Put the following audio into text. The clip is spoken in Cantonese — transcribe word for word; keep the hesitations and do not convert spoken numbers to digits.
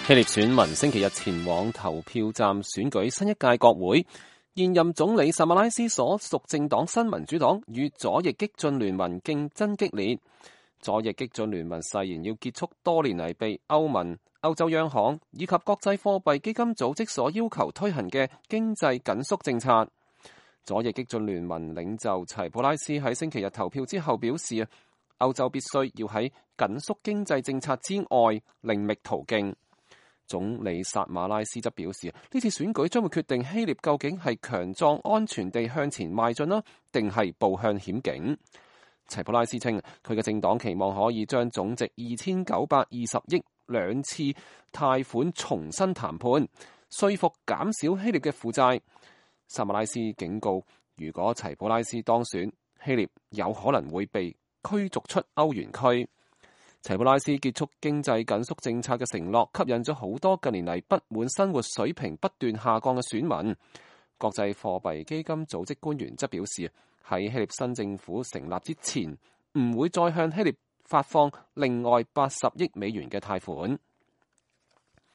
希臘選民星期日前往投票站選舉新一屆國會，現任總理薩馬拉斯所屬政黨新民主黨與左翼激進聯盟競爭激烈。左翼激進聯盟誓言要結束多年嚟被歐盟、歐洲央行以及國際貨幣基金組織所要求推行嘅經濟緊縮政策。左翼激進聯盟領袖齊普拉斯喺星期日投票之後表示，歐洲必須要喺緊縮經濟政策之外另覓途徑。總理薩馬拉斯則表示，呢次選舉將會決定希臘究竟係強壯安全地向前邁進啦，定係步向險境。齊普拉斯稱，佢嘅政黨期望可以將總值二千九百二十億兩次貸款重新談判，說服減少希臘嘅負債。薩馬拉斯警告，如果齊普拉斯當選，希臘有可能會被驅逐出歐元區。齊普拉斯結束經濟緊縮政策嘅承諾，吸引咗好多近年嚟不滿生活水平不斷下降嘅選民。國際貨幣基金組織官員則表示，喺希臘新政府成立之前，唔會再向希臘發放另外八十億美元嘅貸款。